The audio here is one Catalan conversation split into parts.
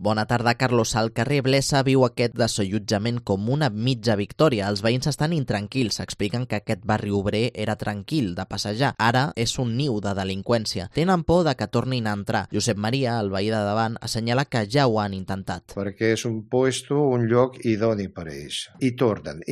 Bona tarda, Carlos. Al carrer Blesa viu aquest desallotjament com una mitja victòria. Els veïns estan intranquils. Expliquen que aquest barri obrer era tranquil de passejar. Ara és un niu de delinqüència. Tenen por de que tornin a entrar. Josep Maria, el veí de davant, assenyala que ja ho han intentat. Perquè és un lloc idoni per a ells. I tornen.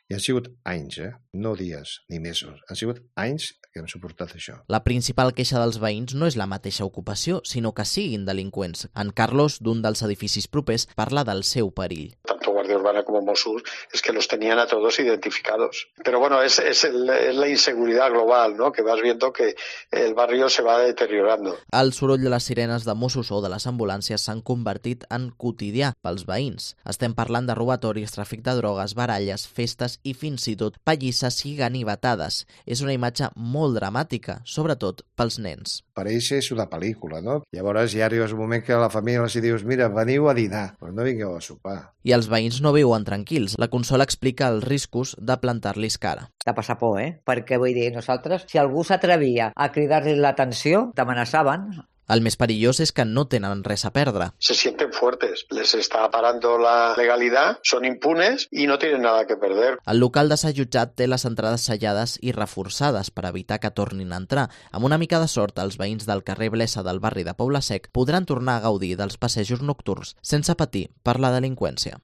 I han sigut anys, no dies ni mesos. Han sigut anys que hem suportat això. La principal queixa dels veïns no és la mateixa ocupació, sinó que siguin delinqüents. En Carlos, d'un dels edificis propers, parla del seu perill. Tanto Guardia Urbana como Mossos es que los tenían a todos identificados. Pero bueno, es la inseguridad global, ¿no? Que vas viendo que el barrio se va deteriorando. El soroll de les sirenes de Mossos o de les ambulàncies s'han convertit en quotidià pels veïns. Estem parlant de robatoris, tràfic de drogues, baralles, festes i fins i tot pallisses i ganivetades. És una imatge molt dramàtica, sobretot pels nens. Per ells és una pel·lícula, no? Llavors ja arribes un moment que a la família els dius mira, veniu a dinar, però no vingueu a sopar. I els veïns no viuen tranquils. La Consola explica els riscos de plantar-los cara. De passar por, Perquè vull dir, nosaltres, si algú s'atrevia a cridar-li l'atenció, t'amenaçaven. El més perillós és que no tenen res a perdre. Se sienten fuertes, les está parando la legalidad, son impunes y no tienen nada que perder. El local desallotjat té les entrades sellades i reforçades per evitar que tornin a entrar. Amb una mica de sort, els veïns del carrer Blesa del barri de Poble Sec podran tornar a gaudir dels passejos nocturns sense patir per la delinqüència.